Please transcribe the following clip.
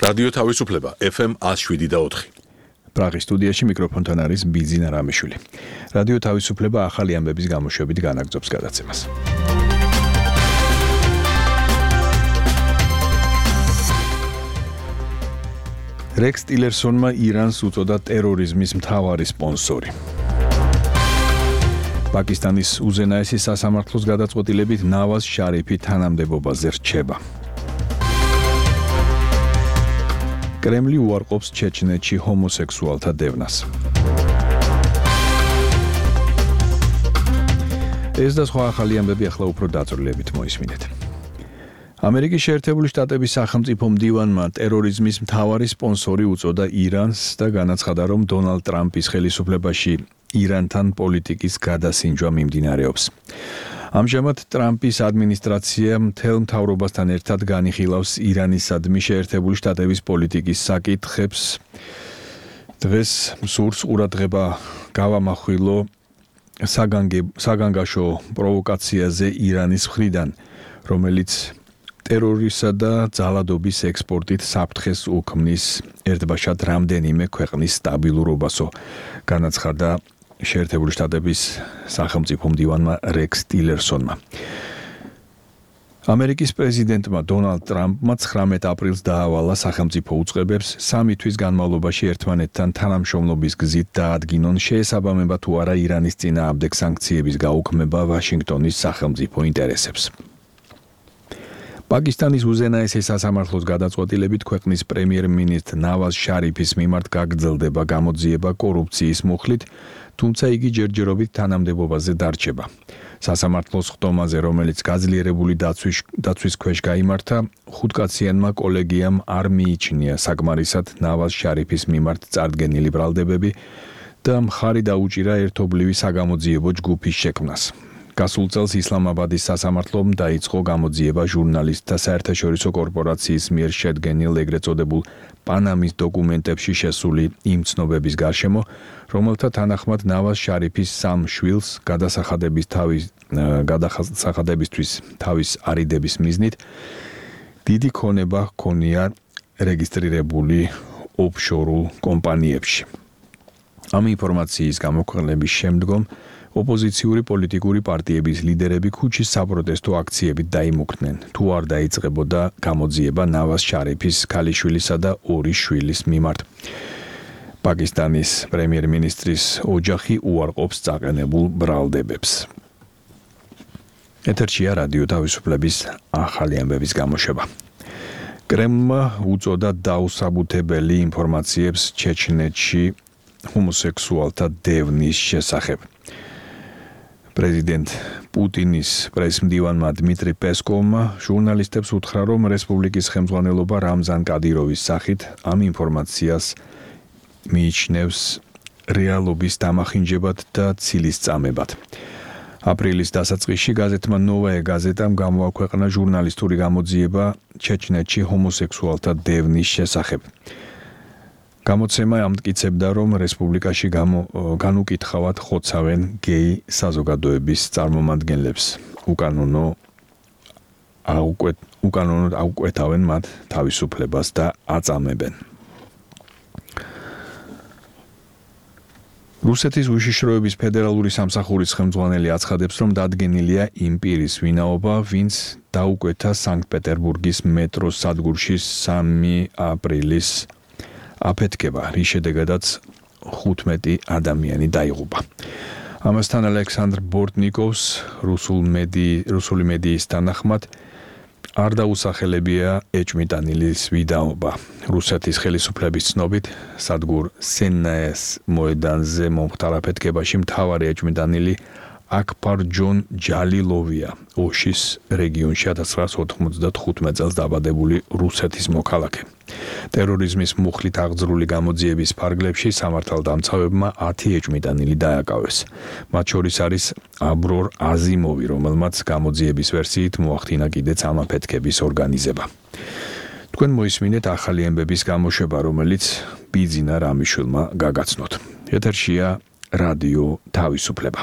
რადიო თავისუფლება FM 107.4. პრაღის სტუდიაში მიკროფონთან არის ბიძინა რამიშვილი. რადიო თავისუფლება ახალი ამბების გამოშვებით განაგრძობს გადაცემას. რექს ტილერსონმა ირანს უწოდა ტერორიზმის მთავარი სპონსორი. პაკისტანის უზენაესი სასამართლოს გადაწყვეტილებით ნავაზ შარიფი თანამდებობაზე რჩება. კრემლი უარყოფს ჩეჩნეთში ჰომოსექსუალთა დევნას. ეს და სხვა ახალი ამბები ახლა უფრო დაწვრილებით მოისმინეთ. ამერიკის შეერთებული შტატების სახელმწიფო მდივანმა ტერორიზმის მთავარი სპონსორი უწოდა ირანს და განაცხადა, რომ დონალდ ტრამპის ხელისუფლებაში ირანთან პოლიტიკის გადასინჯვა მიმდინარეობს. ამჟამად ტრამპის ადმინისტრაცია მთელ მთავრობასთან ერთად განიხილავს ირანისადმი შეერთებული შტატების პოლიტიკის საკითხებს. დღეს სურს ყურადღება გავამახვილო საგანგაშო პროვოკაციაზე ირანის მხრიდან, რომელიც ტერორისა და ძალადობის ექსპორტით საფრთხეს უქმნის ერთბაშად რამდენიმე ქვეყნის სტაბილურობასო, განაცხადა შეერთებული შტატების სახელმწიფო მდივანმა რექს ტილერსონმა. ამერიკის პრეზიდენტმა დონალდ ტრამპმა 19 აპრილს დაავალა სახელმწიფო უწყებებს 3 თვის განმავლობაში ერთმანეთთან თანამშრომლობის გზით დაადგინონ შეესაბამება თუ არა ირანის წინააღმდეგ სანქციების გაუქმება ვაშინგტონის სახელმწიფო ინტერესებს. პაკისტანის უზენაესი სასამართლოს გადაწყვეტილებით ქვეყნის პრემიერ-მინისტრ ნავაზ შარიფის მიმართ გაგრძელდება გამოძიება კორუფციის მუხლით, თუმცა იგი ჯერჯერობით თანამდებობაზე დარჩება. სასამართლოს ხდომაზე, რომელიც გაძლიერებული დაცვის ქვეშ გაიმართა, 5-კაციანმა კოლეგიამ არ მიიჩნია საკმარისად ნავაზ შარიფის მიმართ წარდგენილი ბრალდებები და მხარი დაუჭირა ერთობლივი საგამოძიებო ჯგუფის შექმნას. გასულ წელს ისლამაბადის სასამართლომ დაიწყო გამოძიება ჟურნალისტთა საერთაშორისო კორპორაციის მიერ შედგენილ ეგრეთ წოდებულ პანამის დოკუმენტებში შესული იმ ცნობების გარშემო, რომელთა თანახმად ნავაზ შარიფის 3 შვილს გადასახადებისთვის თავის არიდების მიზნით დიდი ქონება ჰქონია რეგისტრირებული ოფშორულ კომპანიებში. ამ ინფორმაციის გამოქვეყნების შემდგომ ოპოზიციური პოლიტიკური პარტიების ლიდერები ქუჩის საპროტესტო აქციებით დაიმუქრნენ, თუ არ დაიწყებოდა გამოძიება ნავაზ შარიფის ქალიშვილისა და 2 შვილის მიმართ. პაკისტანის პრემიერ-მინისტრის ოჯახი უარყოფს წაყენებულ ბრალდებებს. ეთერშია რადიო თავისუფლების ახალი ამბების გამოშვება. კრემლმა უწოდა დაუსაბუთებელი ინფორმაციებს ჩეჩნეთში ჰომოსექსუალთა დევნის შესახებ. პრეზიდენტ პუტინის პრესმდივანმა დმიტრი პესკოვმა ჟურნალისტებს უთხრა, რომ რესპუბლიკის ხელმძღვანელობა რამზან კადიროვის სახით ამ ინფორმაციას მიიჩნევს რეალობის დამახინჯებად და ცილისწამებად. აპრილის დასაწყისში გაზეთმა ნოვაე გაზეტამ გამოაქვეყნა ჟურნალისტური გამოძიება ჩეჩნეთში ჰომოსექსუალთა დევნის შესახებ. გამოცემა ამტკიცებდა, რომ რესპუბლიკაში განუკითხავად ხოცავენ გეი საზოგადოების წარმომადგენლებს. უკანონოდ აუკვეთავენ მათ თავისუფლებას და აწამებენ. რუსეთის უშიშროების ფედერალური სამსახურის ხელმძღვანელი აცხადებს, რომ დადგენილია იმ პირის ვინაობა, ვინც დაუკვეთა სანქტ-პეტერბურგის მეტროს სადგურში 3 აპრილის აფეთქება, რის შედეგადაც 15 ადამიანი დაიღუპა. ამასთან ალექსანდრ ბორტნიკოვს რუსული მედიის თანახმად არ დაუსახელებია ეჭვმიტანილის ვიდაობა. რუსეთის ხელისუფლების ცნობით, სადგურ სენნაეს მოედანზე მომხდარ აფეთქებაში მთავარი ეჭვმიტანილი აკბარ ჯონ ჯალილოვია, ოშის რეგიონში 1995 წელს დაბადებული რუსეთის მოქალაქე. ტერორიზმის მუხლით აღძრული გამოძიების ფარგლებში სამართალდამცავებმა 10 ეჭვმიტანილი დააკავეს. მათ შორის არის აბრორ აზიმოვი, რომელმაც გამოძიების ვერსიით მოახდინა კიდეც ამ აფეთქების ორგანიზება. თქვენ მოისმინეთ ახალი ამბების გამოშვება, რომელიც ბიძინა რამიშვილმა გაგაცნოთ. ეთერშია რადიო თავისუფლება.